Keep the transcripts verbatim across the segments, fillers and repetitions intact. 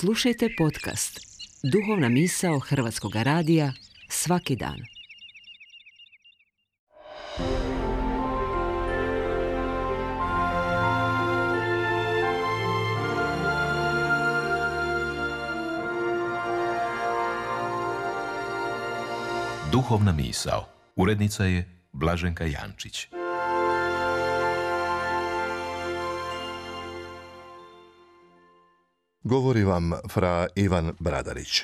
Slušajte podcast Duhovna misao Hrvatskog radija svaki dan. Duhovna misao. Urednica je Blaženka Jančić. Govori vam fra Ivan Bradarić.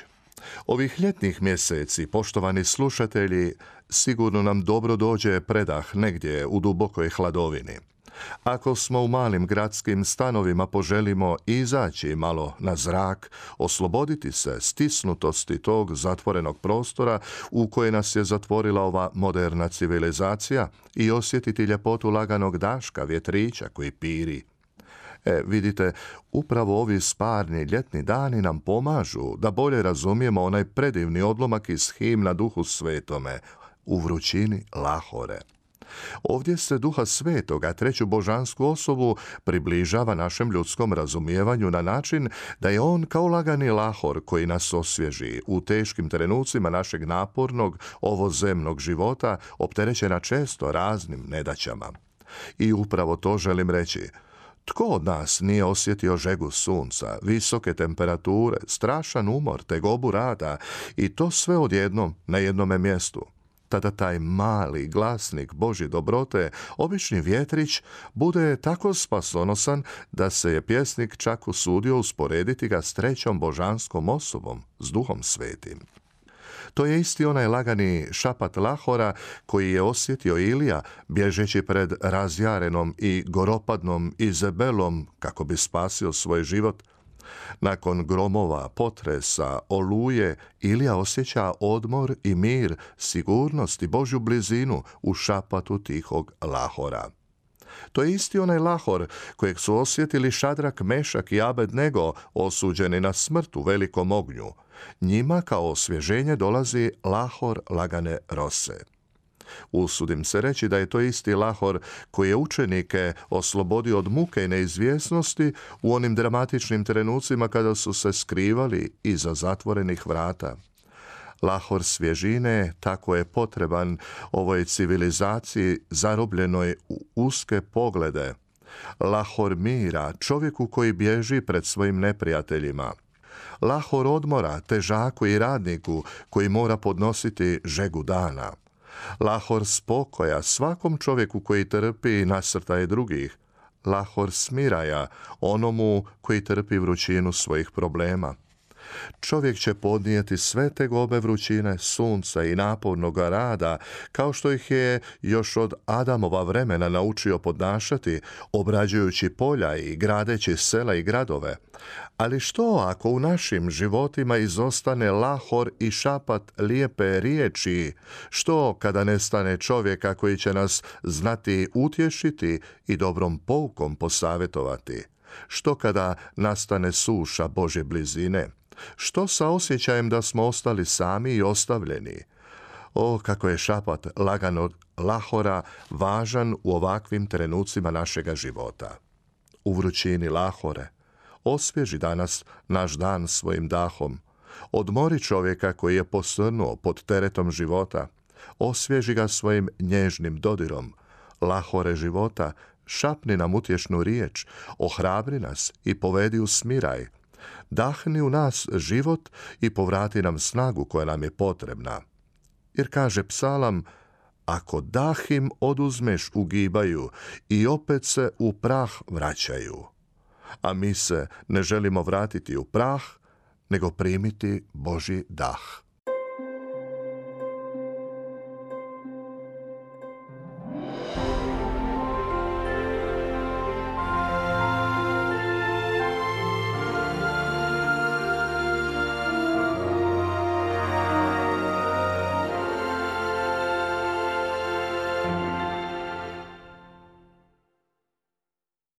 Ovih ljetnih mjeseci, poštovani slušatelji, sigurno nam dobro dođe predah negdje u dubokoj hladovini. Ako smo u malim gradskim stanovima, poželimo izaći malo na zrak, osloboditi se stisnutosti tog zatvorenog prostora u koje nas je zatvorila ova moderna civilizacija i osjetiti ljepotu laganog daška, vjetrića koji piri. E, vidite, upravo ovi sparni ljetni dani nam pomažu da bolje razumijemo onaj predivni odlomak iz himna Duhu Svetome, u vrućini lahore. Ovdje se Duha Svetoga, treću božansku osobu, približava našem ljudskom razumijevanju na način da je on kao lagani lahor koji nas osvježi u teškim trenucima našeg napornog, ovozemnog života, opterećena često raznim nedaćama. I upravo to želim reći. Tko od nas nije osjetio žegu sunca, visoke temperature, strašan umor, tegobu rada i to sve odjednom na jednome mjestu? Tada taj mali glasnik Božje dobrote, obični vjetrić, bude tako spasonosan da se je pjesnik čak usudio usporediti ga s trećom božanskom osobom, s Duhom Svetim. To je isti onaj lagani šapat lahora koji je osjetio Ilija bježeći pred razjarenom i goropadnom Izabelom kako bi spasio svoj život. Nakon gromova, potresa, oluje, Ilija osjeća odmor i mir, sigurnost i Božju blizinu u šapatu tihog lahora. To je isti onaj lahor kojeg su osjetili Šadrak, Mešak i Abednego, osuđeni na smrt u velikom ognju. Njima kao osvježenje dolazi lahor lagane rose. Usudim se reći da je to isti lahor koji je učenike oslobodio od muke i neizvjesnosti u onim dramatičnim trenucima kada su se skrivali iza zatvorenih vrata. Lahor svježine tako je potreban ovoj civilizaciji zarobljenoj u uske poglede. Lahor mira čovjeku koji bježi pred svojim neprijateljima. Lahor odmora težaku i radniku koji mora podnositi žegu dana. Lahor spokoja svakom čovjeku koji trpi nasrtaje drugih. Lahor smiraja onomu koji trpi vrućinu svojih problema. Čovjek će podnijeti sve tegobe vrućine, sunca i napornog rada, kao što ih je još od Adamova vremena naučio podnašati, obrađujući polja i gradeći sela i gradove. Ali što ako u našim životima izostane lahor i šapat lijepe riječi? Što kada nestane čovjeka koji će nas znati utješiti i dobrom poukom posavjetovati? Što kada nastane suša Božje blizine? Što sa osjećajem da smo ostali sami i ostavljeni? O, kako je šapat laganog lahora važan u ovakvim trenucima našega života. U vrućini lahore, osvježi danas naš dan svojim dahom. Odmori čovjeka koji je posrnuo pod teretom života. Osvježi ga svojim nježnim dodirom. Lahore života, šapni nam utješnu riječ, ohrabri nas i povedi u smiraj. Dahni u nas život i povrati nam snagu koja nam je potrebna. Jer kaže psalam, ako dah im oduzmeš ugibaju i opet se u prah vraćaju. A mi se ne želimo vratiti u prah, nego primiti Božji dah.